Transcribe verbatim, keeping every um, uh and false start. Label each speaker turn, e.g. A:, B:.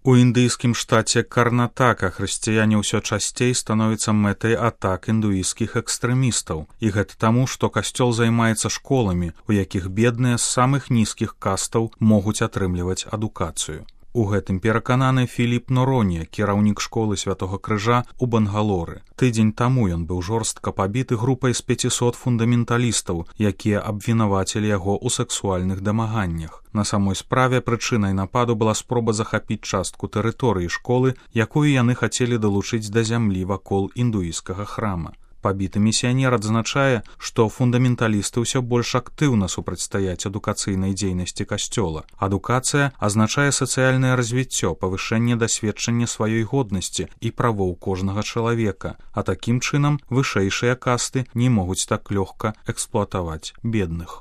A: У індыйскім штаце Карнатака хрысціяне ўсё часцей становяцца мэтай атак індуісцкіх экстрэмістаў. І гэта таму, што касцёл займаецца школамі, у якіх бедныя з самых нізкіх кастаў могуць атрымліваць адукацыю. У гэтым перакананы Філіп Норонія, кіраўнік школы Святога Крыжа ў Бангалоры. Тыдзень таму ён быў жорстка пабіты групай з пяцісот фундаменталістаў, якія абвінавацілі яго ў сэксуальных дамаганнях. На самой справе прычынай нападу была спроба захапіць частку тэрыторыі школы, якую яны хацелі далучыць да зямлі вакол індуісцкага храма. Пабіты місіянер адзначае, што фундаменталісты ўсё больш актыўна супрацьстаяць адукацыйнай дзейнасці касцёла. Адукацыя азначае сацыяльнае развіццё, павышэнне дасведчання сваёй годнасці і правоў кожнага чалавека, а такім чынам вышэйшыя касты не могуць так лёгка эксплуатаваць бедных.